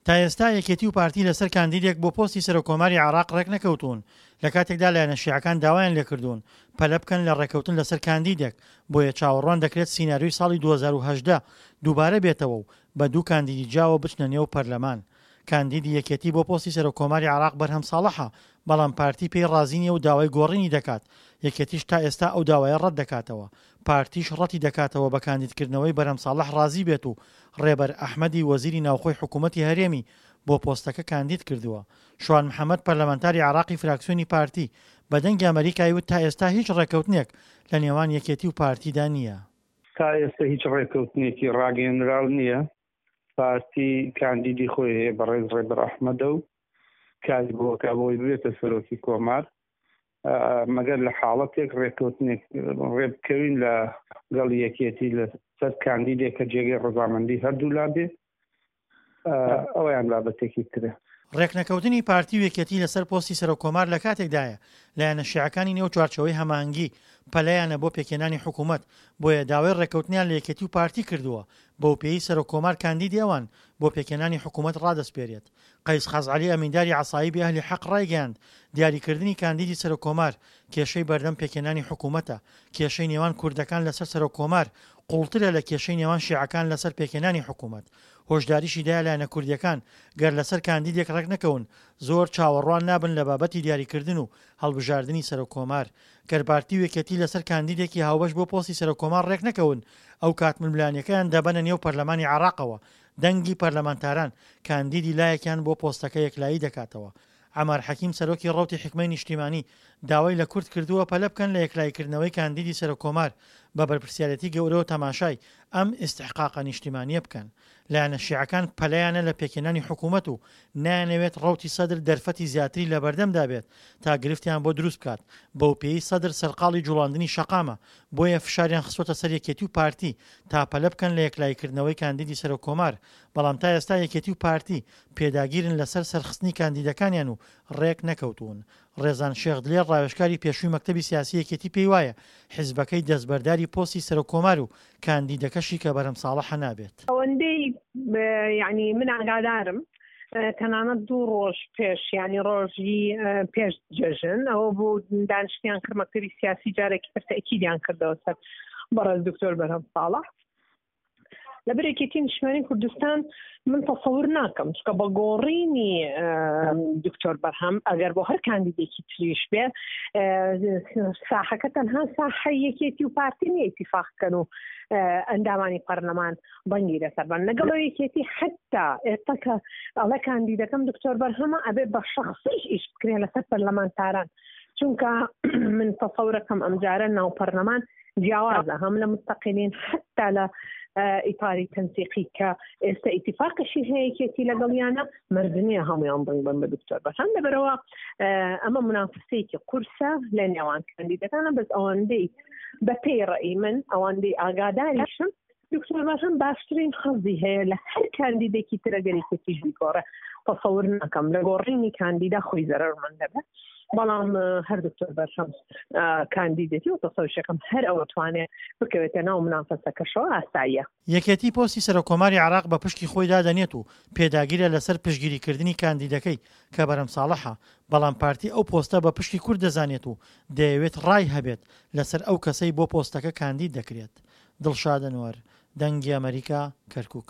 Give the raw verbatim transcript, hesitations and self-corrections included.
تا ئێستا یەکێتی و پارتی لەسەر کاندیدێک بۆ پۆستی سەرۆککۆماری عێراق ڕێکنەکەوتوون، لەکاتێکدا لایەنە شیعەکان داوایان لێکردوون پەلە بکەن لە ڕێککەوتن لەسەر کاندیدێک، بۆیە چاوەڕوان دەکرێت سیناریۆی ساڵی دوو هەزار و هەژدە دووبارە بێتەوە و بە دوو کاندیدی جیاوە بچنە نێو پەرلەمان. کاندیدی یەکێتی بۆ پۆستی سەرۆککۆماری عێراق بەرهەم ساڵحە، بەڵام پارتی پێی ڕازی نییە و داوای گۆڕینی دەکات، یەکێتیش تا ئێستا ئەو داوایە ڕەتدەکاتەوە. پارتیش ڕەتیدەکاتەوە بە کاندیدکردنەوەی بەرهەم ساڵح ڕازی بێت و ڕێبەر ئەحمەدی وەزیری ناوخۆی حکوومەتی هەرێمی بۆ پۆستەکە کاندید کردووە. شوان محەمەد پەرلەمانتاری عێراقی فراکسیۆنی پارتی بە دەنگی ئەمەریکای وت تا ئێستا هیچ ڕێککەوتنێک لە نێوان یەکێتی و پارتیدا نییە. تا ئێستا هیچ ڕێککەوتنێکی ڕاگەیەنراو نییە. پارتی کاندیدی خۆی هەیە بەڕێز ڕێبەر ئەحمەدە و کاری بۆ ئەکا بۆی ببێتە سەرۆکی کۆمار، مەگەر لە حاڵەتێک ڕێککەوتنێک ڕێبکەوین لە گەڵ یەکێتی لەسەر کاندیدێک کە جێگەی ڕەزامەندی هەردوولا بێ، ئەویان بابەتێکی ترە. ڕێکنەکەوتنی پارتی و یەکێتی لەسەر پۆستی سەرۆک کۆمار لە کاتێکدایە لایەنە شیعەکانی نێو چوارچێوەی هەماهەنگی پەلەیانە بۆ پێکهێنانی حکوومەت، بۆیە داوای ڕێککەوتنیان لە یەکێتی و پارتی کردووە، بەوپێیەی سەرۆک کۆمار کاندیدی ئەوان بۆ پێکهێنانی حکوومەت ڕادەسپێرێت. قەیس خەزعەلی ئەمینداری عەسایبی ئەهلی حەق ڕایگەیاند، دیاریکردنی کاندیدی سەرۆک کۆمار کێشەی بەردەم پێکهێنانی حکوومەتە، کێشەی نێوان کوردەکان لەسەر سەرۆک کۆمار قوڵترە لە کێشەی نێوان شیعەکان لەسەر پێکهێنانی حکوومەت. هۆشداریشی دایە لایەنە کوردییەکان گەر لەسەر کاندیدێک ڕێکنەکەون زۆر چاوەڕوان نابن لە بابەتی دیاریکردن و هەڵبژاردنی سەرۆک کۆمار. گەر پارتی و یەکێتی لەسەر کاندیدێکی هاوبەش بۆ پۆستی سەرۆک کۆمار ڕێکنەکەون ئەوکات ململانێکەیان دەبەنە نێو پەرلەمانی عێراقەوە، دەنگی پەرلەمانتاران کاندیدی لایەکیان بۆ پۆستەکە یەکلایی دەکاتەوە. عەمار حەکیم سەرۆکی ڕەوتی حیکمەی نیشتیمانی داوای لە کورد کردووە پەلە بکەن لە یەکلاییکردنەوەی کاندیدی سەرۆک کۆمار، بە بەرپرسیارێتی گەورەوە تەماشای ئەم ئیستحقاقە نیشتیمانییە بکەن. لایەنە شیعەکان پەلەیانە لە پێکهێنانی حکوومەت و نایانەوێت ڕەوتی سەدر دەرفەتی زیاتری لەبەردەمدا بێت تا گرفتیان بۆ دروست بکات، بەوپێیەی سەدر سەرقاڵی جوڵاندنی شەقامە، بۆیە فشاریان خستووەتە سەر یەکێتی و پارتی تا پەلە بکەن لە یەکلاییکردنەوەی کاندیدی سەرۆک کۆمار، بەڵام تا ئێستا یەکێتی و پارتی پێداگیرن لەسەر سەرخستنی کاندیدەکانیان و ڕێک نەکەوتوون. ڕێزان شێخ دلێر ڕاوێژکاری پێشووی مەکتەبی سیاسی یەکێتی پێیوایە حزبەکەی دەستبەرداری پۆستی سەرۆک کۆمار و کاندیدەکەشی کە بەرهەم ساڵحە نابێت. ئەوەندەی یانی من ئاگادارم تەنانەت دوو ڕۆژ پێش یانی ڕۆژی پێش جەژن ئەوە بوو دانیشتیان کرد مەکتەبی سیاسی جارێکی تر تەئکیدیان کردەوە سەر بەڕێز دکتۆر بەرهەم ساڵح. لەبەر یەکێتی نیشتمانی کوردستان من تەسەور ناکەم چونکە بە گۆڕینی دکتۆر بەرهەم ئەگەر بۆ هەر کاندیدێکی تریش بێ ساحەکە تەنها ساحەی یەکێتی و پارتی نییە ئیتیفاق کەن و ئەندامانی پەرلەمان بەنگی لەسەر بن لەگەڵ یەکێتی حتا ئێستا کە ئەڵێ کاندیدەکەم دکتۆر بەرهەمە ئەبێ بە شەخسیش ئیش بکرێ لەسەر پەرلەمانتاران چونکە من تەسەورەکەم ئەمجارە ناو پەرلەمان جیاوازە هەم لە مستەقیلین حتا لە ئیتاری تەنسیقی کە ئێستا ئیتیفاقیشی هەیە یەکێتی لەگەڵیانە مەرج نییە هەمویان دەنگ بن بە دکتۆر بەرهەم لەبەرەوە ئەمە منافسەیەکی قورسە لە نێوان کاندیدەکانە بەس ئەوەندەی بە پێی ڕەئی من ئەوەندەی ئاگاداریشم دکتۆر بەرهەم باشترین حەزی هەیە لە هەر کاندیدێکی تر ئەگەر یەکێتیش بیگۆڕێ تەسەور ناکەم لە گۆڕینی کاندیدا خۆی زەرەرمەند دەبێت بەڵام هەر دکتۆر بەرهەم کاندیدێتی و تەسەوشەکەم هەر ئەوە توانێ بکەوێتە ناو منافەسەکەشەوە ئاساییە. یەکێتی پۆستی سەرۆککۆماری عێراق بە پشکی خۆی دادەنێت و پێداگیرە لەسەر پشتگیریکردنی کاندیدەکەی کە بەرهەم ساڵحە، بەڵام پارتی ئەو پۆستە بە پشکی کورد دەزانێت و دەیەوێت ڕای هەبێت لەسەر ئەو کەسەی بۆ پۆستەکە کاندید دەکرێت. دڵشاد ئەنوەر، دەنگی ئەمەریکا، کەرکوک.